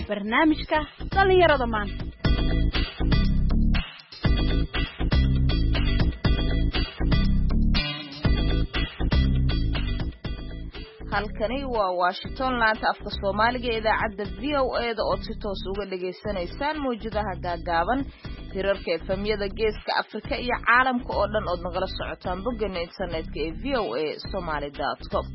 Barnaamijka dhallinyarada maanta. Halkani waa Washington, laanta afka Soomaaliga ee idaacadda VOA-da ood si toos uga dhagaysanaysaan mawjadaha gaagaaban, hirarka FM-yada Geeska Afrika iyo caalamka oo dhan ood nagala socotaan boggeena internetka ee voasomali.com.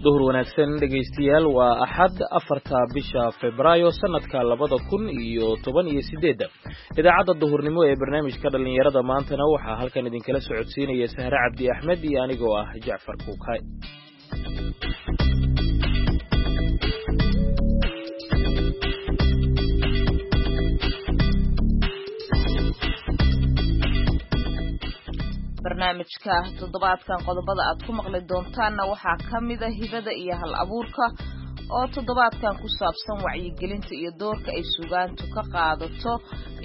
Duhur wanaagsan, dhegaystayaal. Waa Axad, 4-ta bisha Febraayo, sanadka 2018-da. Idaacadda duhurnimo ee barnaamijka dhallinyarada maantana waxaa halkan idinkala socodsiinaya Sahre Cabdi Axmed iyo anigoo ah Jacfar Kuukay. Barnaamijka toddobaadkan qodobada aad ku maqli doontaanna waxaa ka mida hibada iyo hal abuurka oo toddobaadkan ku saabsan wacyigelinta iyo doorka ay sugaantu ka qaadato,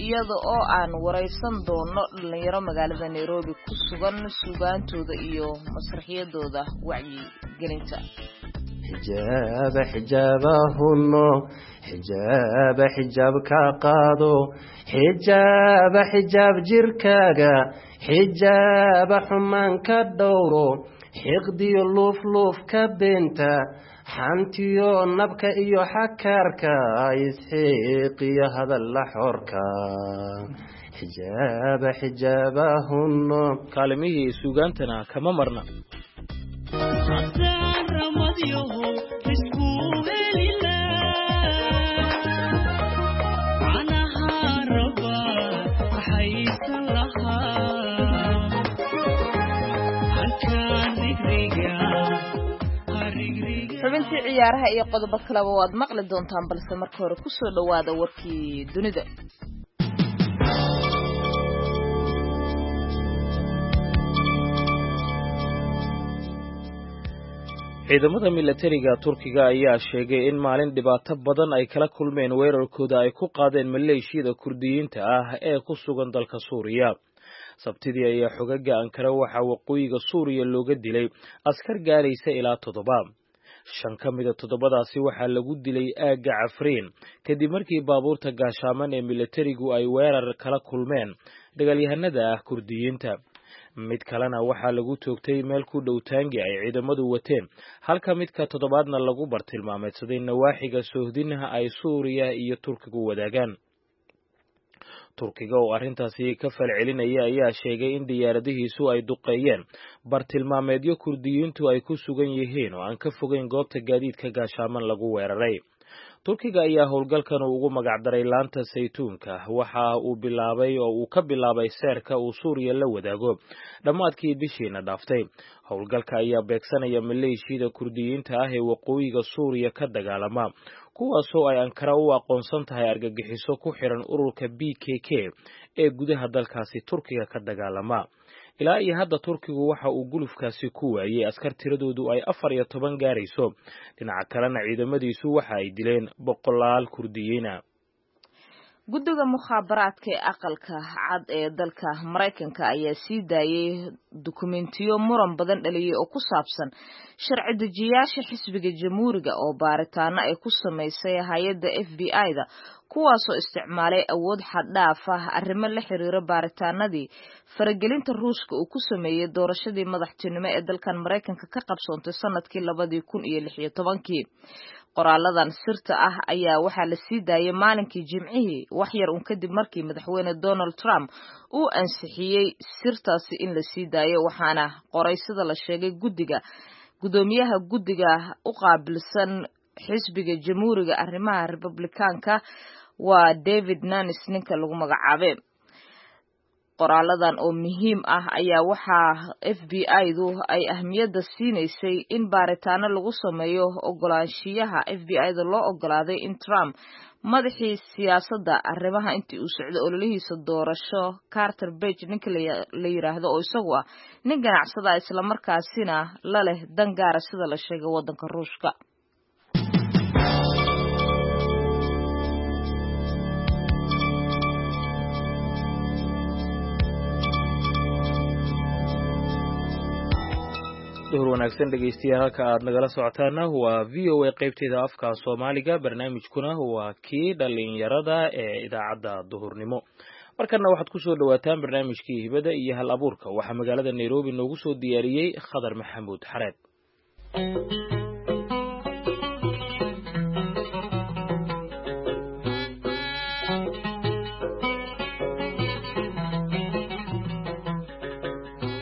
iyada oo aan waraysan doono dhallinyaro magaalada Nairobi ku sugan, sugaantooda iyo masraxiyadooda wacyigelinta. Xijaaba xijaabahunno, xijaaba xijaab ka qaado, xijaaba xijaab jirkaaga, xijaaba xumaan ka dhowro, xiqdiyo luufluuf ka beenta, xantiyo nabka iyo xakaarka, isxiiqiyo hadalla xorka, xijaaba xijaabahunno. Kaalimihii sugaantana kama marna. Xubintii ciyaaraha iyo qodobo kaleba waad maqli doontaan, balse marka hore kusoo dhowaada warkii dunida. Ciidamada milatariga Turkiga ayaa sheegay in maalin dhibaato badan ay kala kulmeen weerarkooda ay ku qaadeen maleeshiyada Kurdiyiinta ah ee ku sugan dalka Suuriya. Sabtidii ayaa xogaga Ankara waxaa waqooyiga Suuriya looga dilay askar gaaraysa ilaa toddoba. Shan ka mida toddobadaasi waxaa lagu dilay aagga Cafriin kadib markii baabuurta gaashaaman ee milatarigu ay weerar kala kulmeen dagaalyahanada ah Kurdiyiinta. Mid kalena waxaa lagu toogtay meel ku dhow taangi ay ciidamadu wateen, halka midka toddobaadna lagu bartilmaameedsaday nawaaxiga soohdinaha ay Suuriya iyo Turkigu wadaagaan. Turkiga oo arrintaasi ka falcelinaya ayaa sheegay in diyaaradihiisu ay duqeeyeen bartilmaameedyo Kurdiyiintu ay ku sugan yihiin oo aan ka fogeyn goobta gaadiidka gaashaaman lagu weeraray. Turkiga ayaa howlgalkan uu ugu magacdaray Laanta Saytuunka. Waxa uu bilaabay oo uu ka bilaabay seerka uu Suuriya la wadaago dhammaadkii bishiina dhaaftay. Howlgalka ayaa beegsanaya maleeshiyada Kurdiyiinta ah ee waqooyiga Suuriya ka dagaalama, kuwaasoo ay Ankara u aqoonsan tahay argagixiso ku xiran ururka PKK ee gudaha dalkaasi Turkiga ka dagaalama. Ilaa iyo hadda Turkigu waxa uu gulufkaasi ku waayey askar tiradoodu ay 14 gaarayso. Dhinaca kalena ciidamadiisu waxa ay dileen boqolaal Kurdiyiina. Guddiga mukhaabaraadka ee Aqalka Cad ee dalka Maraykanka ayaa sii daayay dukumentiyo muran badan dhaliyay oo ku saabsan sharci dejiyaasha xisbiga Jamhuuriga oo baaritaano ay ku samaysay hay-adda FBI-da, kuwaasoo isticmaalay awood xaddhaaf ah arrimo la xiriira baaritaanadii faragelinta Ruushka uu ku sameeyey doorashadii madaxtinimo ee dalkan Maraykanka ka qabsoontay sanadkii 2016-kii. Qoraaladan sirta ah ayaa waxaa la sii daayay maalinkii Jimcihii, wax yar un kadib markii Madaxweyne Donald Trump uu ansixiyey sirtaasi in la sii daayo, waxaana qoray, sida la sheegay, guddiga guddoomiyaha guddiga u qaabilsan xisbiga Jamhuuriga arrimaha Republikaanka, waa David Nanis ninka lagu magacaabay. Qoraaladan oo muhiim ah ayaa waxaa FBI-du ay ahmiyadda siinaysay in baaritaano lagu sameeyo ogolaanshiyaha FBI-da loo ogolaaday in Trump madaxii siyaasadda arrimaha intii uu socday ololihiisa doorasho, Carter Page ninka la yiraahdo, oo isagu ah nin ganacsada islamarkaasina la leh dan gaara, sida la sheegay, waddanka Ruushka. Duhur wanaagsan dhegeystayaal, halka aad nagala socotaana waa VOA qaybteeda afka Soomaaliga, barnaamijkuna waa kii dhalinyarada ee idaacadda duhurnimo. Markana waxaad ku soo dhowaataan barnaamijkii hibada iyo hal abuurka. Waxaa magaalada Nairobi noogu soo diyaariyey Khadar Maxamuud Xareed.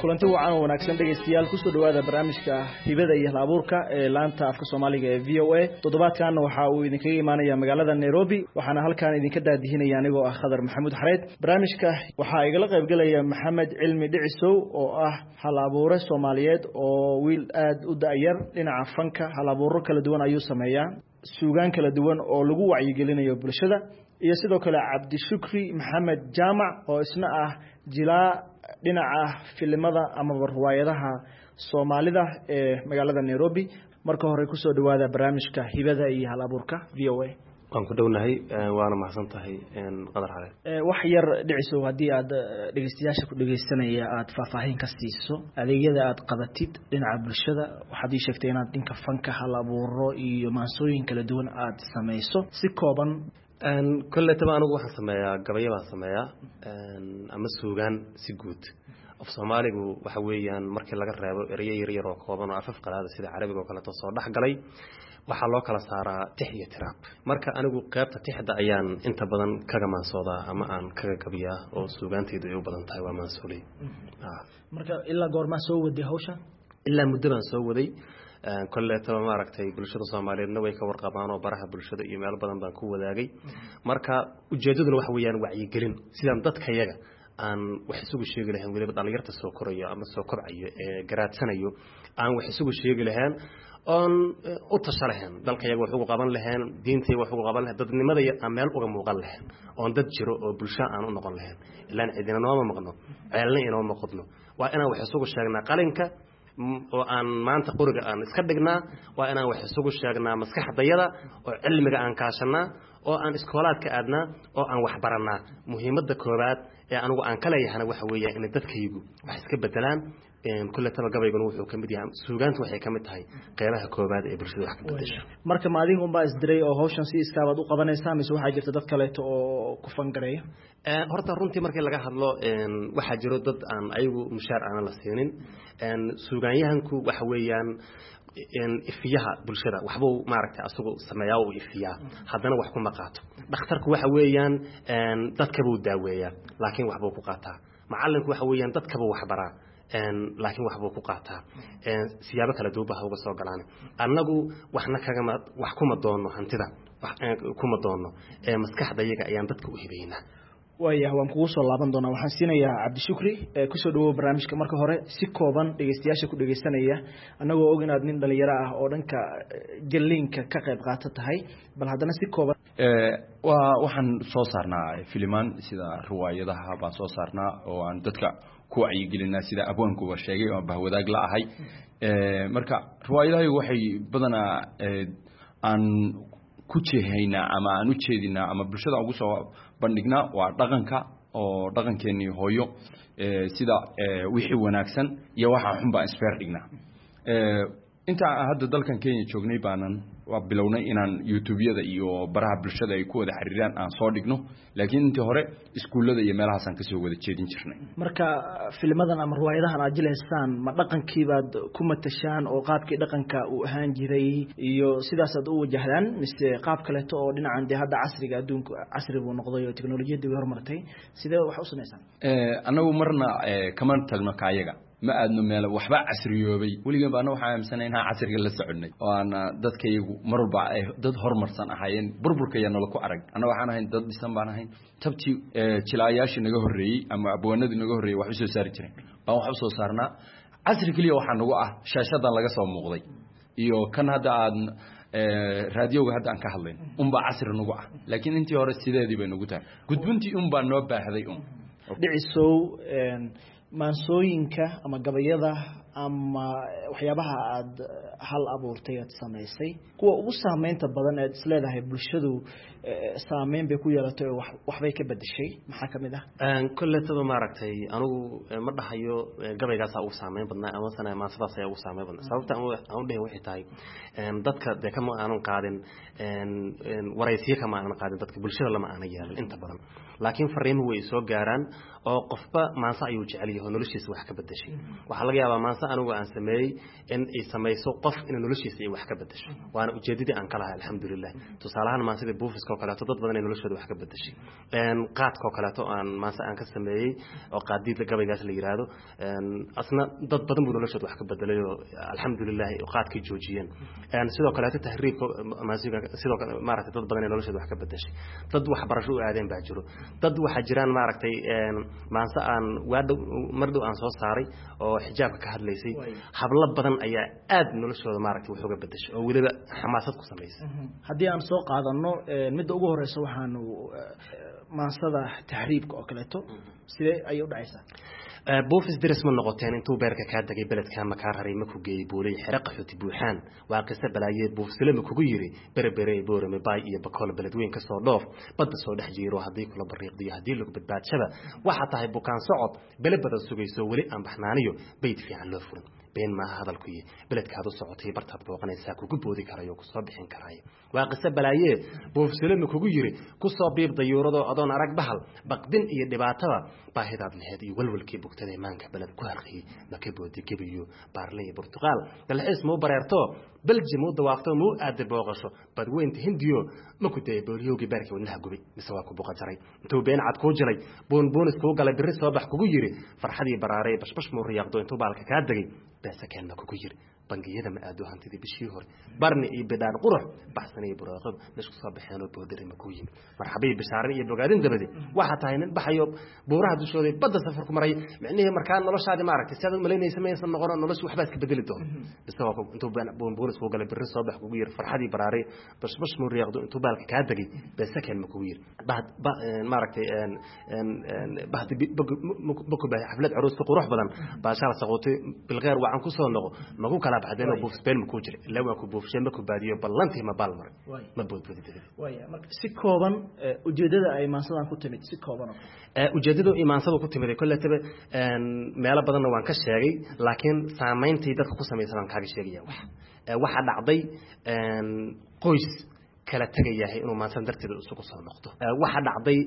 Kulanti wacan oo wanaagsan dhegaystayaal, kusoo dhawaada barnaamijka hibada iyo hal abuurka ee laanta afka Soomaaliga ee VOA. Toddobaadkan waxa uu idinkaga imaanaya magaalada Nairobi, waxaana halkan idinka daadihinaya anigoo ah Khadar Maxamuud Xareed. Barnaamijka waxaa igala qaybgelaya Maxamed Cilmi Dhicisow oo ah hal abuure Soomaaliyeed oo wiil aad u da'yar dhinaca fanka. Hal abuuro kala duwan ayuu sameeyaa, suugaan kala duwan oo lagu wacyigelinayo bulshada, iyo sidoo kale Cabdishukri Maxamed Jaamac oo isna ah jilaa dhinaca filimada amaba riwaayadaha Soomaalida ee magaalada Nairobi. Marka hore kusoo dhawaada barnaamijka hibada iyo hal abuurka VOA. Waan ku dhownahay, waana mahadsan tahay, Qadar Xareed. Wax yar Dhicisow, haddii aad dhegeystayaasha ku dhegeysanaya aad faahfaahin ka siiso adeegyada aad qabatid dhinaca bulshada. Waxaad ii sheegtay inaad dhinka fanka, hal abuuro iyo maansooyin kala duwan aad samayso, si kooban. Kolletaba anigu waxaan sameeyaa gabayo baan sameeyaa ama suugaan si guud. Af Soomaaligu waxa weeyaan markii laga reebo ereyo yaryar oo kooban oo afaf qalaada sida Carabiga oo kaleeto soo dhex galay, waxaa loo kala saaraa tix iyo tiraab. Marka anigu qaybta tixda ayaan inta badan kaga maansoodaa ama aan kaga gabiyaa, oo suugaantaydu ay u badan tahay waa maansooley. Marka ilaa goormaa soo waday hawsha? Ilaa muddo baan soo waday. Kolleetaba maaragtay bulshada Soomaaliyeedna way ka warqabaan oo baraha bulshada iyo meelo badan baan ku wadaagay. Marka ujeedaduna waxa weeyaan wacyigelin, sidaan dadkayaga aan wax isugu sheegi lahayn, weliba dhalinyarta soo korayo ama soo kobcayo ee garaadsanayo aan wax isugu sheegi lahayn oon u tasha lahayn, dalkayaga wax ugu qaban lahayn, diintayga wax ugu qaban lahayn, dadnimada aan meel uga muuqan lahayn, oon dad jiro oo bulsho aan u noqon lahayn. Ilaan cidina nooma maqno, ceelna inooma qodno. Waa inaan wax isugu sheegnaa qalinka oo aan maanta qoriga aan iska dhignaa, waa inaan wax isugu sheegnaa maskaxdayada oo cilmiga aan kaashanaa oo aan iskoolaadka aadnaa oo aan wax barannaa. Muhiimadda koowaad ee anigu aan ka leeyahana waxa weeyaan inay dadkaygu wax iska bedelaan. Kulletaba gabayguna wuxuu ka mid yahay, suugaantu waxay ka mid tahay qeybaha koowaad ee bulshada wax ka bedesho. Marka ma adiga unbaa isdiray oo hawshan si iskaabaad u qabanaysaa, mise waxaa jirta dad kaleeto oo ku fangareeya? Horta runtii markii laga hadlo, waxaa jiro dad aan ayagu mushaar aanan la siinin. Suugaanyahanku waxa weeyaan ifiyaha bulshada, waxbuu maaragtay asagu sameeyaa, uu ifiyaa, haddana wax kuma qaato. Dhakhtarku waxa weeyaan dadkabuu daaweeyaa, laakiin waxbuu ku qaataa. Macallinku waxa weeyaan dadkabuu waxbaraa, laakiin waxbuu ku qaataa. Siyaabo kala duwan ba ha uga soo galaan. Annagu waxna kagama wax kuma doonno, hantida kuma doonno, maskaxdayaga ayaan dadka u hibaynaa. Waayah, waan kugu soo laaban doonaa. Waxaan siinayaa Cabdishukri. Kusoo dhawow barnaamijka. Marka hore si kooban dhegeystayaasha ku dhegeysanaya, annagoo og inaad nin dhalinyaro ah oo dhanka jaliinka ka qayb qaata tahay, bal haddana si kooban. Waa waxaan soo saarnaa filimaan, sida riwaayadaha baan soo saarnaa oo aan dadka ku wacyigelinaa, sida abwaankuba sheegay oo bahwadaag la ahay. Marka riwaayadahaygu waxay badanaa aan ku jeehaynaa ama aan u jeedinaa ama bulshada ugu soo bandhignaa waa dhaqanka oo dhaqankeenii hooyo, sida wixii wanaagsan iyo waxa xun baan isbeer dhignaa. Inta aan hadda dalkan Kenya joognay baanan waa bilownay inaan youtubeyada iyo baraha bulshada ay ku wada xiriiraan aan soo dhigno, laakiin intii hore iskuullada iyo meelahaasaan kasoo wada jeedin jirnay. Marka filimadan ama riwaayadahan aad jilaysaan, ma dhaqankiibaad ku matashaan oo qaabkii dhaqanka uu ahaan jiray iyo sidaasaad u wajahdaan, mise qaab kaleeto oo dhinacan dee hadda casriga, adduunku casri buu noqday oo teknolojiyadii way horumartay, sidee wax u samaysaan? Annagu marna kama tagno kaayaga, ma aadno meel waxba casriyoobay. Weligan ba anna waxaan aaminsanay inaan casriga la soconay oo aan dadkayagu mar walba ay dad horumarsan ahaayeen. Burburka ayaa nala ku arag. Anna waxaan ahayn dad dhisan baan ahayn. Tabtii jilaayaashii naga horreeyey ama abwaanadii naga horreeyey wax u soo saari jireen baan wax u soo saarnaa. Casri keliya waxaa nagu ah shaashadan laga soo muuqday iyo kan hadda aad raadiyowga hadda aan ka hadlayn unbaa casri nagu ah, laakiin intii hore sideedii bay nagu tahay. Gudbintii unbaa noo baahday un. Dhicisow, maansooyinka ama gabayada Ama waxyaabaha aada hal abuurtay aad samaysay, kuwa ugu saameynta badan ead isleedahay bulshadu saameyn bay ku yeelatay oo waxbay ka bedeshay, maxaa kamid ah? Kolletaba maaragtay anigu ma dhahayo gabaygaasaa ugu saameyn badnaa ama sana maansadaas ayaa ugu saameyn badnaa. Sababta aan u dhahay waxay tahay, dadka dee kama aanan qaadin waraysiyo, kama aanan qaadin dadka bulshada, lama aanan yeelin inta badan, laakiin fariimuhu way soo gaaraan oo qofba maanse ayuu jecel yahay oo noloshiisa wax ka bedeshay. Waxaa laga yaabaa maanse anigu aan sameeyey in ay samayso qof in noloshiisa ay wax ka bedesho, waana ujeedadii aan ka lahay, alxamdulilah. Tusaalahaan maansidii buufiska oo kaleeto dad badan ay noloshooda wax ka bedeshay. Qaadka oo kaleeto aan maanse aan ka sameeyey oo qaadiidla gabaygaas la yiraahdo, asna dad badan buu noloshooda wax ka bedelay oo alxamdulilah qaadkay joojiyeen. Sidoo kaleeto tahriibka maansiga sidoo kale maaragtay dad badan ay noloshooda wax ka bedeshay. Dad waxbarasho u aadeen baa jiro. Dad waxaa jiraan maaragtay maanse aan waadhow mar dhow aan soo saaray oo xijaabka ka hadlaysay, hablo badan ayaa aad noloshooda maaragtay wax uga bedeshay oo weliba xamaasad ku samaysay. Haddii aan soo qaadano midda ugu horeysa, waxaanu maansada tahriibka oo kaleeto, sidee ayay u dhacaysaa? Buufis diris ma noqoteen intuu beerka kaa degay, beledkaa ma kaa raray, ma ku geeyey buulay xero qaxooti buuxaan? Waa qiso balaayee, buufsile ma kugu yiri Berebere, Boorame, Baay iyo Bakool, beledweyn ka soo dhoof, badda soo dhex jiiro? Haddii kula bariiqdiyo, haddii lagu badbaadshaba, waxaa tahay bukaan socod bele badan sugayso, weli aan baxnaaniyo bayd fiican loo furin. Been maaha hadalkuyi, beledkaad u socotay bartaad booqanaysaa kugu boodi karayo, kusoo bixin karaayo. Waa qiso balaayee, buufsile ma kugu yiri kusoo biib dayuuradoo adoon arag bahal baqdin iyo dhibaatada baahidaad laheed iyo walwalkii bugtada maanka beled ku harqiyey? Maka boodi gebiyo Baarle iyo Burtuqaal, dalxiis muu bareerto, Belji muu dawaafto, muu aada booqasho badweynta Hindiyo? Ma ku dayay booliyowgii beerkii wadnaha gubay, mise waa ku buqa jaray intuu been cad kuu jilay, buunbuunis kuu galay, birri soo bax kugu yiri, farxadii baraaray, bashbash muu riyaaqdo intuu baalka kaa degay, beesakeen ma kugu yiri? Bangiyada ma aado, hantidii bishii hore barni iyo bidhaan qurux baxsan iyo buraaqada meesha kusoo baxeenoo boodari ma kuu yimid, marxabiyi bishaarin iyo bogaadin dabade? Waxaa tahay nin baxayo buuraha dushooda badda safar ku maray, micnihii markaa noloshaadi maaragtay si aad umalaynaysa maysan noqono, noloshu waxbaa iska bedeli doono. Bise waa intuu buunbuunis kuu galay, birri soo bax kugu yiri, farxadii baraaray, bashbash muu riyaaqdo intuu baalka kaa degay, beesakeen ma kugu yiri, maaragtay bahdi maku baahay xaflad caruuska qurux badan, baashaal saquutay, bilkheer wacan kusoo noqo, maku kala baxdeen oo buufsbeen ma kuu jira ilaa waa ku buufsheen, ma ku baadiyo ballantii, ma baal maray, ma boodboodi dabadii? Waya, marka si kooban ujeedada ay maansadan ku timid, si kooban oo Ujeeddadu imaansadu ku timid kolletaba meelo badanna waan ka sheegay, laakiin saamayntii dadka ku samaysa baan kaaga sheegaya. Wax waxaa dhacday qoys kala tegayahay inuu maansadan darteeda isugu soo noqdo. Waxaa dhacday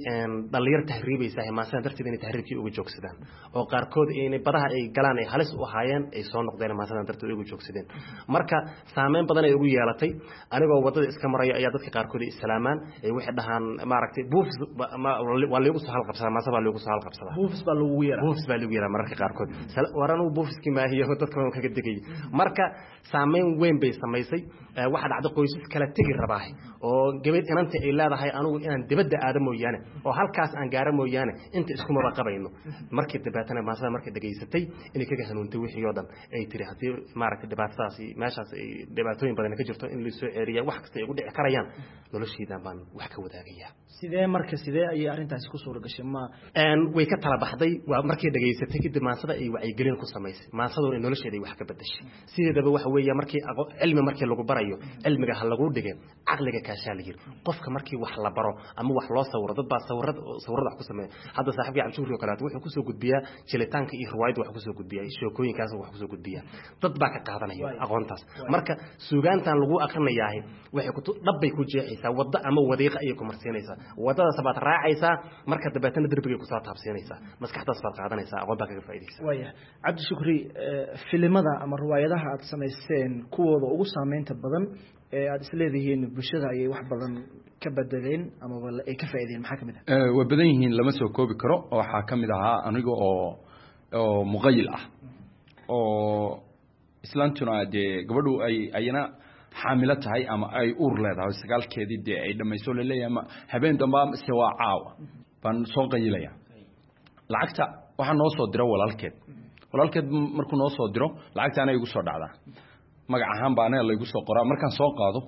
dhalinyar tahriibaysahay maansadan darteeda inay tahriibkii uga joogsadaan, oo qaarkood inay badaha ay galaan ay halis u ahaayeen ay soo noqdeen maansadan darteed uga joogsadeen. Marka saameyn badan ay ugu yeelatay. Anigoo waddada iska maraya ayaa dadka qaarkood ay islaamaan, ay waxay dhahaan maaragtay buufis waa liigu soo halqabsadaa, maansa baa liigu soo halqabsadaa. Buufis baa lagu yeeraa? Buufis baa lagu yeeraa mararka qaarkood. War anugu buufiskii maahiyo, dadka waan kaga degayay. Marka saameyn weyn bay samaysay. Waxaa dhacday qoysas kala tegi rabaahay oo gabadh inanta ay leedahay anigu inaan dibadda aado mooyaane oo halkaas aan gaaro mooyaane inta iskumaba qabayno, markii dabeetana maasada markay dhegaysatay inay kaga hanuuntay wixii oo dhan, ay tiri haddii maaragtay dhibaatadaasi meeshaas ay dhibaatooyin badan ka jirto in laisoo ceeriya, wax kasta ay ugu dhici karayaan, noloshaydan baan wax ka wadaagayaa. Sidee marka, sidee ayay arrintaasi ku suura gashay ma? Way ka tala baxday. Waa markay dhegaysatay kadib maansada ay wacyigelin ku samaysay, maansaduna nolosheeda ay wax ka bedeshay. Sideedaba waxa weeye markii cilmi markii lagu barayo, cilmiga ha lagu dhige, caqliga kaashaa la yiri. Qofka markii wax la baro ama wax loo sawiro, dad baa sawirada sawirada wax ku sameeya. Hadda saaxiibkii Cabdishukri oo kaleeto wuxuu kusoo gudbiyaa jilitaanka iyo riwaayadda wax kusoo gudbiyaa, sheekooyinkaas wax kusoo gudbiyaa, dad baa ka qaadanaya aqoontaas. Marka suugaantan lagu akrinayaahi waxay ku dhabbay ku jeexaysaa waddo ama wadiiqa ayay ku marsiinaysaa, waddadaas baad raacaysaa, marka dabeetana darbigay kusoo taabsiinaysaa, maskaxdaas baad qaadanaysaa, aqoon baa kaga faa'iidaysaa. Waya, Cabdishukri, filimada ama riwaayadaha aad samayseen kuwooda ugu saameynta badan ee aada isleedihiin bulshada ayay wax badan ka bedeleen amaba ay ka faa'iideen, maxaa kamid ah? Way badan yihiin, lama soo koobi karo. Waxaa ka mid ahaa aniga oo muqayil ah oo islaantuna dee gabadhu ay ayana xaamilo tahay ama ay uur leedahay, sagaalkeedii dee ay dhammayso, laleeyahay ma habeen damba mise waa caawa, baan soo qayilaya. Lacagta waxaa noo soo diro walaalkeed. Walaalkeed markuu noo soo diro lacagta anay igu soo dhacdaa, magac ahaan baa anaga laygu soo qoraa. Markaan soo qaado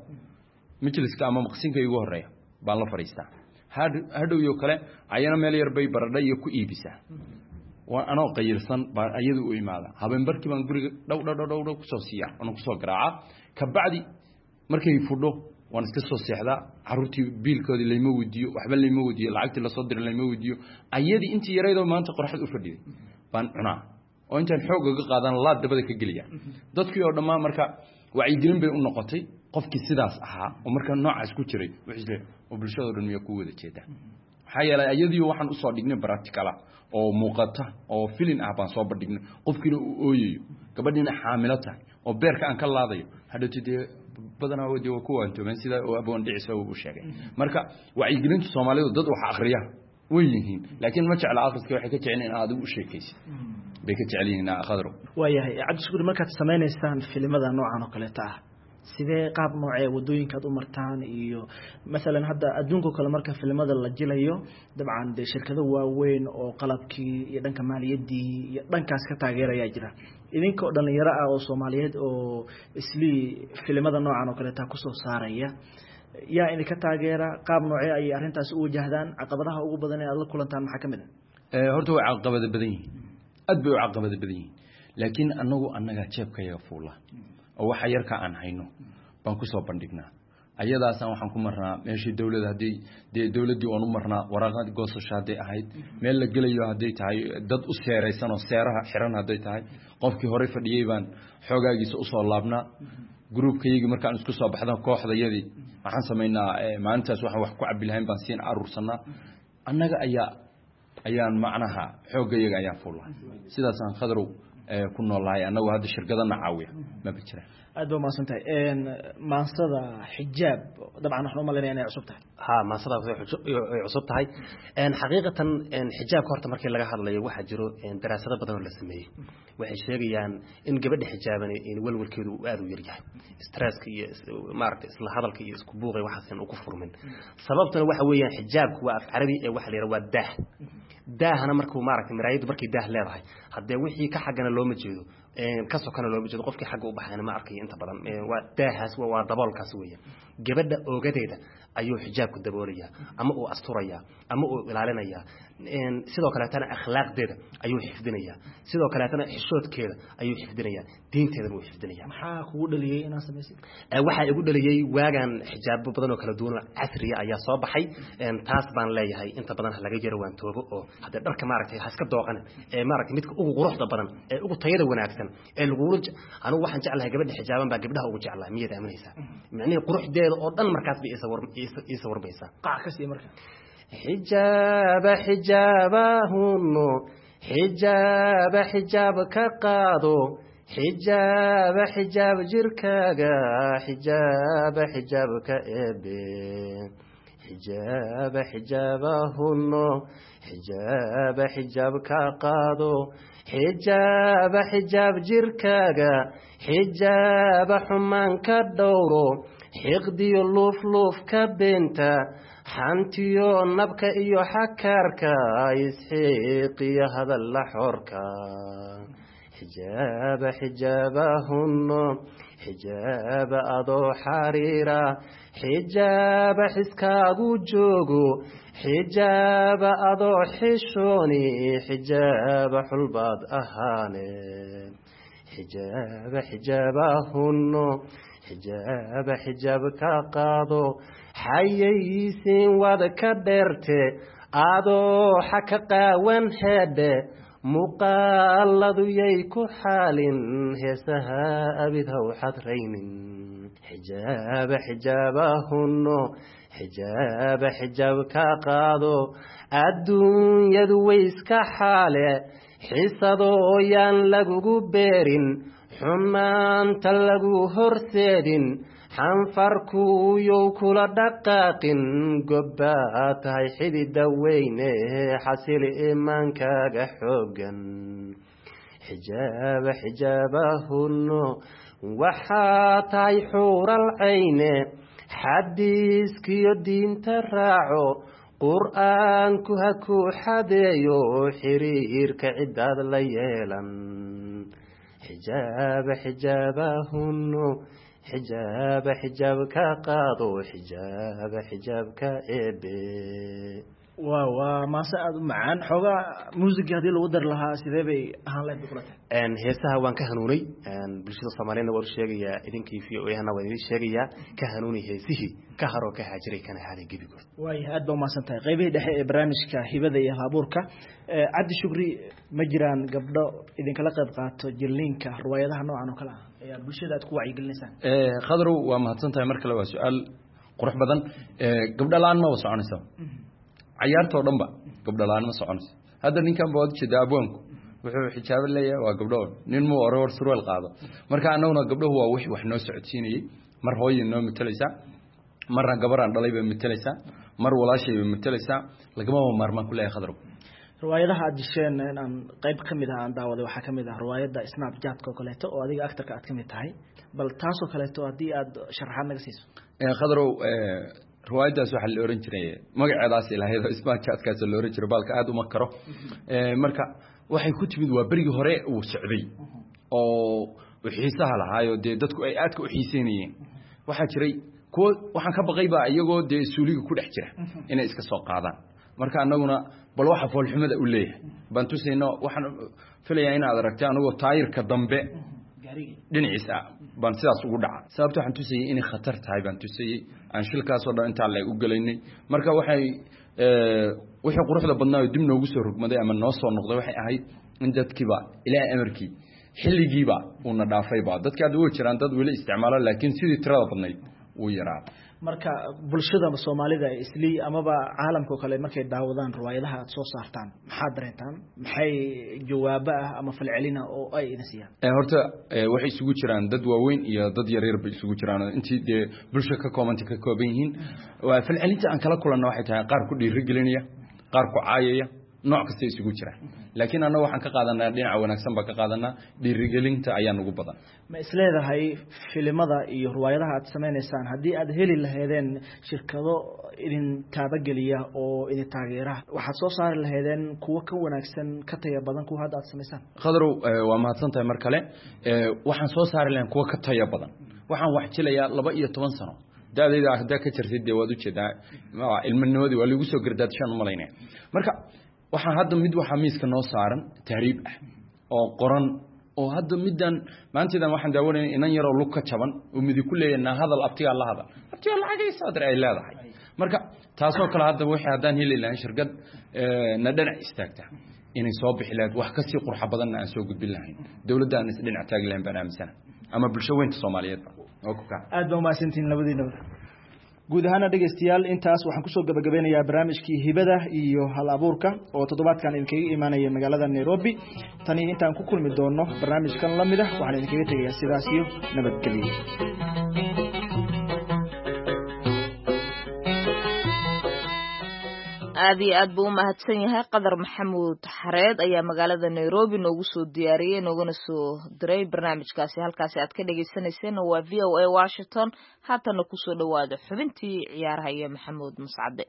majliska ama maqsinka igu horeeya baan la fadhiistaa. Hadhowyo kale ayana meel yar bay baradha iyo ku iibisaa. Waa anoo qayirsan baan ayadu u imaada. Habeenbarkii baan guriga dhow dhow dhow dhow kusoo siiya, anoo kusoo garaaca. Kabacdi markay fudho waan iska soo seexdaa. Caruurtii biilkoodii layma weydiiyo, waxba layma weydiiyo, lacagtii lasoo diray layma weydiiyo. Ayadii intii yaraydoo maanta qoraxda u fadhiyay baan cunaa oo intaan xoog uga qaadan laad dabada ka geliya dadkii oo dhammaan. Marka wacyigelin bay u noqotay qofkii sidaas ahaa oo marka noocaas ku jiray wuxuu isleeyahay oo bulshada dhan miyaa ku wada jeedaa? Maxaa yeelay ayadii waxaan usoo dhignay practical oo muuqata oo filin ah baan soo bandhignay, qofkiina uu ooyayo, gabadhiina xaamilo tahay oo beerka aan ka laadayo. Hadhowti dee badanaa dee waa ku waantoomeen sida oo Aboon Dhicisa uu sheegay. Marka wacyigelinta Soomaalidu, dad wax akhriya way yihiin, laakiin ma jecla akhriska. Waxay ka jecel in aad u sheekaysid bay ka jecel yihiin, Khadro. Waayahay, Cabdishakuur, markaad samaynaysaan filimada noocan oo kaleeta ah, sidee qaab noocee wadooyinkaad u martaan? Iyo masalan hadda adduunka kale marka filimada la jilayo, dabcan dee shirkado waaweyn oo qalabkii iyo dhanka maaliyaddii iyo dhankaas ka taageerayaa jira. Idinka oo dhalinyaro ah oo Soomaaliyeed oo islii filimada noocan oo kaleeta kusoo saaraya, yaa idinka taageera? Qaab noocee ayay arrintaas u wajahdaan? Caqabadaha ugu badan ee aad la kulantaan maxaa ka mid ah? Horta way caqabada badan yihiin, aad bay u caqabada badan yihiin, laakiin anagu annagaa jeebkayaga fuula oo waxa yarka aan hayno baan kusoo bandhignaa. Ayadaasaan waxaan ku marnaa meeshii dowladda, haddii dee dowladdii waan u marnaa waraaqad goosasho hadday ahayd, meel la gelayo hadday tahay, dad u seeraysan oo seeraha xiran hadday tahay, qofkii horey fadhiyey baan xoogaagiisa usoo laabnaa. Gruubkayagii markaan isku soo baxda, kooxdayadii waxaan samaynaa maalintaas waxaan wax ku cabi lahayn baan siin aruursanaa. Annaga ayaa ayaan macnaha xooggayaga ayaan fuulaa, sidaasaan, Khadrow, ku noolahay. Annagu hadda shirkadana caawiya maba jiraan. Aad ba umahadsan tahay. Maansada Xijaab, dabcan waxaan umalaynaya inay cusub tahay. Ha, maansadaas way cusub tahay xaqiiqatan. Xijaabka horta markii laga hadlayo, waxaa jiro daraasado badan oo la sameeyey. Waxay sheegayaan in gabadha xijaaban in walwalkeedu uu aad u yaryahay, stresska iyo maaragtay isla hadalka iyo isku buuqay waxaasan ugu furmin. Sababtuna waxa weeyaan xijaabku waa af carabi ee waxa la yidhaha waa daah. Daahana markuu maaragtay maraayaddu markay daah leedahay, haddee wixii ka xaggana looma jeedo, ka sokana looma jeedo, qofkii xagga u baxayna ma arkayo inta badan. Waa daahaas, waa daboolkaas weeyaan. Gabadha oogadeeda ayuu xijaabku daboolayaa ama uu asturayaa ama uu ilaalinayaa. Sidoo kaleetana akhlaaqdeeda ayuu xifdinayaa, sidoo kaleetana xishoodkeeda ayuu xifdinayaa, diinteedana wuu xifdinayaa. Maxaa kugu dhaliyey inaad samaysid? Waxaa igu dhaliyey waagaan xijaabo badan oo kala duwan oo casriya ayaa soo baxay. Taas baan leeyahay inta badan ha laga jaro waantoobo oo haddee dharka maaragtay ha iska dooqanin ee maaragtay midka ugu quruxda badan ee ugu tayada wanaagsan ee lagula. Anigu waxaan jeclahay gabadha xijaaban baa gabdhaha ugu jeclahay. Miyaad aaminaysaa? Micnihii quruxdeeda oo dhan markaas bay ii sawirmaysaa. Qac ka sii marka. Xijaaba xijaabahunno, xijaaba xijaab ka qaado, xijaaba xijaab jirkaaga, xijaaba xijaab ka eebe, xijaaba xijaabahunno, xijaaba xijaab ka qaado, xijaaba xijaab jirkaaga, xijaaba xumaan ka dhowro, xiqdiyo luufluuf ka beenta, xantiyo nabka iyo xakaarka, isxiiqiyo hadalla xorka. Xijaaba xijaabahunno, xijaaba adoo xariira, xijaaba xiskaagu joogo, xijaaba adoo xishooni, xijaaba xulbaad ahaane. Xijaaba xijaabahunno, xijaaba xijaab ka qaado, xayaysiin waad ka dheerte, adoo xa ka qaawan heedhe, muuqaaladu yay ku xaalin, heesaha abid ha u xadraynin. Xijaaba xijaabahunno, xijaaba xijaab ka qaado, adduunyadu way iska xaale, xisadoo yaan lagugu beerin, xumaanta lagu horseedin, xanfarkuuyow kula dhaqaaqin, gobbaa tahay xidida weyne, xasili imaankaaga xooggan. Xijaaba xijaabahunno, waxaa tahay xuural cayne, xadiiskiyo diinta raaco, qur'aanku ha ku xadeeyo, xiriirka ciddaad la yeelan. Xijaaba xijaabahunno, xijaaba xijaab ka qaado, xijaaba xijaab ka eebe. Waa maase aada u macaan. Xoogaa muusiga haddii lagu dari lahaa sidee bay ahaan lahayd bay kula tahay? Heesaha waan ka hanuunay, bulshada Soomaaliyeedna waan u sheegayaa, idinkii v o a-hana waan idin sheegayaa, ka hanuunay heesihii ka haroo ka haajiray kana haaday gebigood. Waaya, aad baa umahadsan tahay. Qaybihii dhexe ee barnaamijka hibada iyo hal-abuurka, Cabdi Shukri, ma jiraan gabdho idinkala qayb qaato jirliinka riwaayadaha noocan oo kale ah ayaa bulshada aad ku wacyigelinaysaan? Khadrow, waa mahadsan tahay mar kale, waa su-aal qurux badan. Gabdho la-aan maba soconaysa cayaartoo dhan ba, gabdho la-aan ma soconayso. Hadda ninkan ba waad ujeedaa, abwaanku wuxuu xijaabo leeyahay waa gabdho, nin muu ore war surweel qaado. Marka annaguna gabdhahu waa wixii wax noo socodsiinayey. Mar hooyay noo matalaysaa, marna gabaraan dhalay bay matalaysaa, mar walaashay bay matalaysaa. Lagamaba maarmaan ku leeyahay, Khadrow. Riwaayadaha aad jisheen in aan qayb ka mid ah aan daawaday waxaa ka mid ah riwaayadda Snapchat-ka oo kaleeto oo adiga actorka aad ka mid tahay. Bal taasoo kaleeto haddii aad sharaxaad naga siiso. Khadrow, riwaayaddaas waxaa la ohan jiray magaceedaas ilahayd oo Snapchat-kaas la ohan jiray, baalka aada uma karo. Marka waxay ku timid waa berigii hore uu socday oo xiisaha lahaayo, dee dadku ay aadka u xiiseynayeen. Waxaa jiray kuwo waxaan ka baqay baa iyagoo dee suuliga ku dhex jira inay iska soo qaadaan. Marka annaguna bal waxa foolxumada u leeyahay baan tusayno. Waxaan filayaa inaad aragtay anagoo taayirka dambe dhinaciisa baan sidaas ugu dhaca. Sababta waxaan tusayey inay khatar tahay baan tusayey, aan shilkaasoo dhan intaa leeg u gelaynay. Marka waxay wixii quruxda badnaa oo dib noogu soo rogmaday ama noo soo noqday waxay ahayd in dadkiiba Ilaahay amarkii xilligiiba uuna dhaafayba. Dadki hadda way jiraan dad weli isticmaalo, laakiin sidii tirada badnayd wuu yaraa. Marka bulshada Soomaalida islii amaba caalamka oo kale markay daawadaan riwaayadaha aad soo saartaan, maxaad dareentaan? Maxay jawaabo ah ama falcelina oo ay idin siiyaan? Horta waxay isugu jiraan dad waaweyn iyo dad yaryar bay isugu jiraan, intii dee bulsha ka koobanta ka kooban yihiin. Falcelinta aan kala kulanna waxay tahay qaar ku dhiirigelinaya, qaar ku caayaya, nooc kasta isugu jira. Laakiin annaga waxaan ka qaadanaa dhinaca wanaagsan baan ka qaadanaa, dhiirigelinta ayaa nugu badan. Ma isleedahay filimada iyo riwaayadaha aad samaynaysaan haddii aad heli lahaydeen shirkado idin taabageliya oo idin taageera, waxaad soo saari lahaydeen kuwo ka wanaagsan, ka taya badan kuwa hadda aad samaysaan? Khadrow, waa mahadsan tahay mar kale. Waxaan soo saari lahayn kuwo ka taya badan. Waxaan wax jilayaa 12 sano da-dayda haddaa ka jirtay, dee waad ujeedaa ilmanimadii waa laigu soo gardaadshaan umalaynaya. Marka waxaa hadda mid waxaa miiska noo saaran tahriib ah oo qoran oo hadda middan maanteedan waxaan daawanaya inan yaroo lug ka jaban oo midi ku leeyahay naa hadal abtigaa la hadal, abtigaa lacagaysa adar ay leedahay. Marka taasoo kale hadda wixii haddaan heli lahayn shirkad na dhinac istaagta inay soo bixi lahayd wax kasii qurxa badanna aan soo gudbin lahayn, dowladda aan isdhinac taagi lahayn baan aaminsana, ama bulsho weynta Soomaaliyeedba. Aad baa umahadsantihiin labadiinaba. Guud ahaana dhegeystayaal, intaas waxaan kusoo gabagabeynayaa barnaamijkii hibada iyo hal abuurka oo toddobaadkan idinkaga imaanaya magaalada Nairobi. Tani intaan ku kulmi doono barnaamijkan la mid ah, waxaan idinkaga tegayaa sidaas iyo nabadgelyo. Aad iyo aad buu u mahadsan yahay Qadar Maxamuud Xareed ayaa magaalada Nairobi noogu soo diyaariyey noogana soo diray barnaamijkaasi. Halkaasi aad ka dhegaysanayseena waa v o a Washington. Haatana kusoo dhowaada xubintii ciyaaraha iyo Maxamuud Mascade.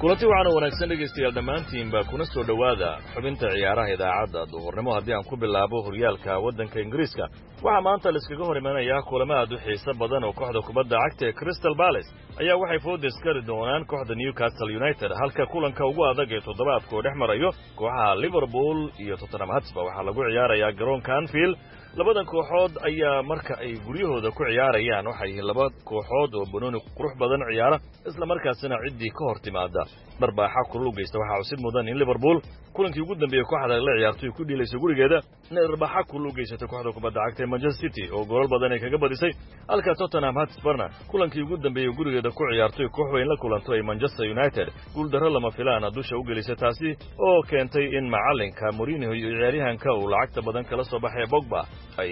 Kulanti waxaana wanaagsan dhegaystayaal dhammaantiinba, kuna soo dhowaada xubinta ciyaaraha idaacadda duhurnimo. Haddii aan ku bilaabo horyaalka waddanka Ingiriiska, waxaa maanta laiskaga hor imanayaa kulamo aad u xiiso badan oo kooxda kubadda cagta ee Crystal Palace ayaa waxay fooda iskari doonaan kooxda Newcastle United, halka kulanka ugu adag ee toddobaadku oo dhex marayo kooxaha Liverpool iyo Tottenham Hotspur waxaa lagu ciyaarayaa garoonka Anfield. Labadan kooxood ayaa marka ay guryahooda ku ciyaarayaan waxay yihiin laba kooxood oo banooni qurux badan ciyaara, isla markaasina ciddii ka hor timaada dharbaaxa kulul u geysta. Waxaa cusub mudan in Liverpool kulankii ugu dambeeyey kooxda la ciyaartoy ku dhiilayso gurigeeda inay dharbaaxa kulul u geysatay kooxda kubadda cagta ee Manchester City oo goolal badan ay kaga badisay, halka Tottenham Hotspurna kulankii ugu dambeeyey gurigeeda ku ciyaartoy koox weyn la kulanto ay Manchester United guuldarro lama filaana dusha u gelisay, taasi oo keentay in macalinka Mourinho iyo ciyaaryahanka uu lacagta badan kala soo baxay Pogba ay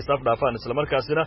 isaf dhaafaan, islamarkaasina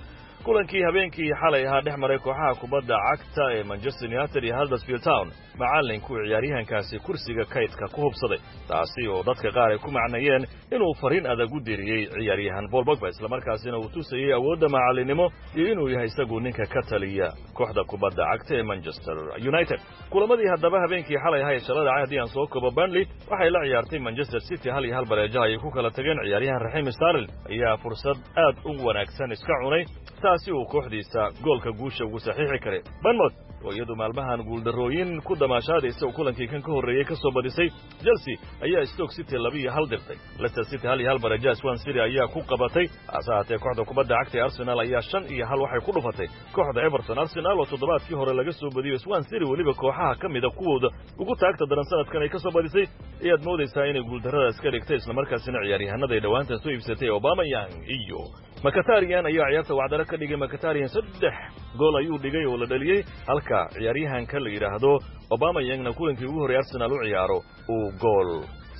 Kulankii habeenkii xalay ahaa dhex maray kooxaha kubadda cagta ee Manchester United iyo Huddersfield Town, macallinkuu ciyaaryahankaasi kursiga kaydka ku hubsaday, taasi oo dadka qaar ay ku macnayeen inuu fariin adag u diriyey ciyaaryahan Paul Pogba, islamarkaasina uu tusayey awoodda macalinimo iyo inuu yahay isagu ninka ka taliya kooxda kubadda cagta ee Manchester United. Kulamadii haddaba habeenkii xalay ahaa ee shala dhacay haddii aan soo koobo, Burnley waxay la ciyaartay Manchester City 1-1 bareejaha ay ku kala tageen. Ciyaaryahan Raheem Sterling ayaa fursad aad u wanaagsan iska cunay, taasi uu kooxdiisa goolka guusha ugu saxiixi karay. Bournemouth oo iyadu maalmahan guuldarrooyin ku damaashaadaysa oo kulankii kan ka horreeyey ka soo badisay Chelsea ayaa Stoke City 2-1 dirtay. Leicester City 1-1 bareejaha Swansea City ayaa ku qabatay. Hase ahaatee kooxda kubadda cagta ee Arsenal ayaa 5-1 waxay ku dhufatay kooxda Everton. Arsenal oo toddobaadkii hore laga soo badiyo Swansea City, weliba kooxaha ka mida kuwooda ugu taagta daran sanadkan ay ka soo badisay, ayaad moodaysaa inay guuldarradaas ka dhigtay, islamarkaasina ciyaaryahanada ay dhowaantan soo iibsatay Aubameyang iyo Mkhitaryan ayaa ciyaarta wacdaro ka dhigay. Mkhitaryan 3 gool ayuu dhigay oo la dhaliyey, halka ciyaaryahanka la yidhaahdo Aubameyangna kulankii ugu horreeyay Arsenal u ciyaaro uu gool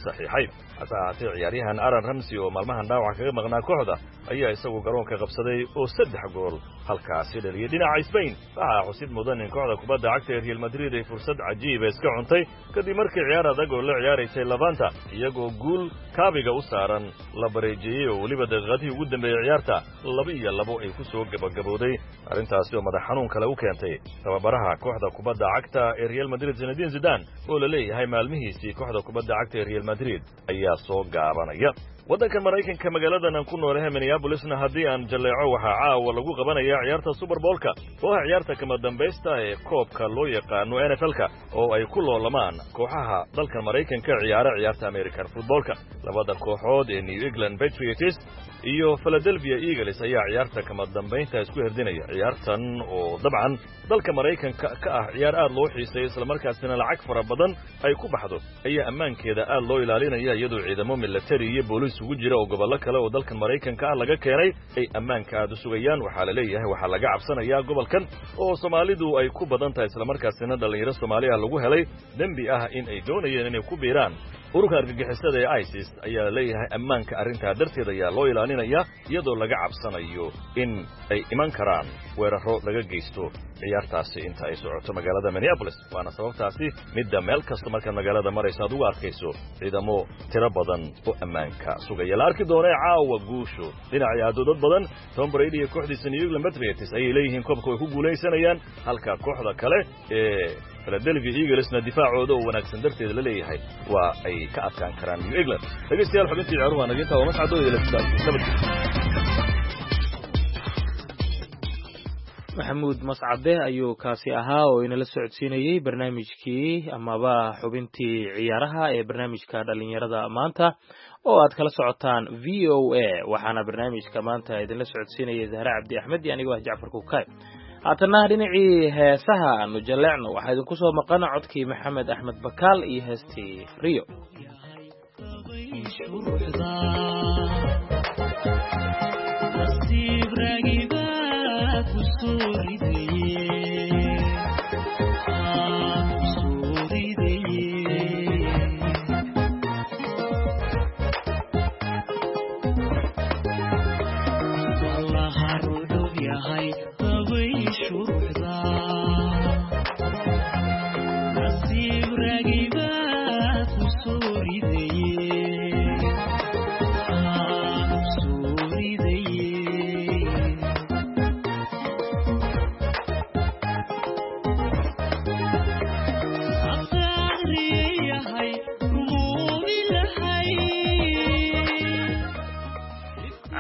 saxiixay. Hase ahaatee ciyaaryahan Aaron Ramsey oo maalmahan dhaawaca kaga maqnaa kooxda ayaa isagu garoonka qabsaday oo 3 gool halkaasi dhaliyey. Dhinaca Spain waxaa xusid mudan in kooxda kubadda cagta ee Real Madrid ay fursad cajiiba iska cuntay kadib markii ciyaar adag oo la ciyaaraysay Levante iyagoo guul kaabiga u saaran la bareejeeyey oo weliba daqiiqadihii ugu dambeeyey ciyaarta 2-2 ay ku soo gabagabowday, arrintaasi oo madax xanuun kale u keentay tababaraha kooxda kubadda cagta ee Real Madrid Zinedine Zidane oo la leeyahay maalmihiisii kooxda kubadda cagta ee Real Madrid ayaa soo gaabanaya. Waddanka Maraykanka magaaladan aan ku noolahay Minneapolisna haddii aan jalleeco, waxaa caawa lagu qabanayaa ciyaarta Super Bowlka oo ah ciyaarta kama dambaysta ee koobka loo yaqaano NFL-ka oo ay ku loolamaan kooxaha dalka Maraykanka ciyaara ciyaarta American footballka. Labada kooxood ee New England Patriots iyo Philadelphia Eagles ayaa ciyaarta kama dambaynta isku herdinaya. Ciyaartan oo dabcan dalka Maraykanka ka ah ciyaar aad loo xiiseeyo islamarkaasina lacag fara badan ay ku baxdo ayaa ammaankeeda aad loo ilaalinaya, iyadoo ciidamo military iyo booliis ugu jira oo gobollo kale oo dalkan Maraykanka ah laga keenay ay ammaanka aad u sugayaan. Waxaa la leeyahay waxaa laga cabsanayaa gobolkan oo Soomaalidu ay ku badan tahay, islamarkaasina dhallinyaro Soomaali ah lagu helay dembi ah in ay doonayeen inay ku biiraan ururka argagixisada ee ISIS, ayaa la leeyahay ammaanka arrintaa darteed ayaa loo ilaalinayaa, iyadoo laga cabsanayo in ay iman karaan weerarro laga geysto ciyaartaasi inta ay socoto magaalada Minneapolis. Waana sababtaasi midda meel kasta markaad magaalada marayso aad ugu arkayso ciidamo tiro badan oo ammaanka sugaya. La arki doonee caawa guushu dhinacii aado dad badan. Tom Brady iyo kooxdiisa New England Patriots ayay leeyihiin koobka way ku guulaysanayaan, halka kooxda kale ee Philadelphia Eaglesna difaacooda oo wanaagsan darteed la leeyahay waa ay ka adkaan karaan New England. Dhegeystayaal, xubintii ciyaaruhu waa naga intaa. Waa mascadooda nabadgelyo. Maxamuud Mascade ayuu kaasi ahaa oo inala socodsiinayey barnaamijkii amaba xubintii ciyaaraha ee barnaamijka dhalinyarada maanta oo aad kala socotaan v o a. Waxaana barnaamijka maanta idinla socodsiinayay Zahre Cabdi Axmed iyo anigoo ah Jacfar Kukaay. Haatanna dhinacii heesaha aanu jaleecno, waxaa idinku soo maqan codkii Maxamed Axmed Bakaal iyo heestii Rio.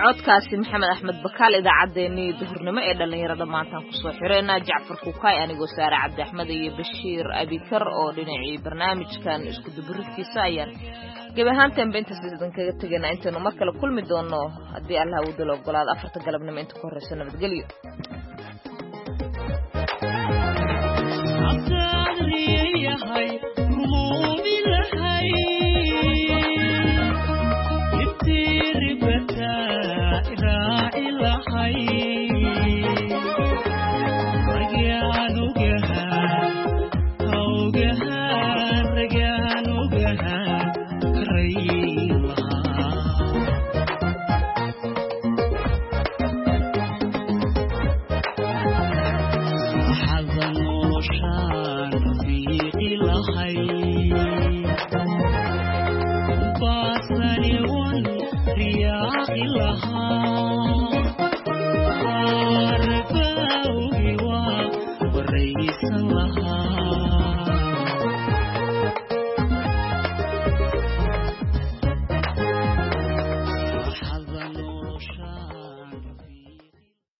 Codkaasi Maxamed Axmed Bakaal idaacaddeenii duhurnimo ee dhallinyarada maantaan kusoo xireynaa. Jacfar Kukaay, anigoo Saare Cabdi Axmed iyo Bashiir Abikar oo dhinacii barnaamijkan isku duburidkiisa ayaan gebi ahaantaanba intaas idinkaga tegaynaa intaynu mar kale kulmi doono haddii allah uu dalo ogolaado 4ta galabnimo inta ku horreysa. Nabadgelyo.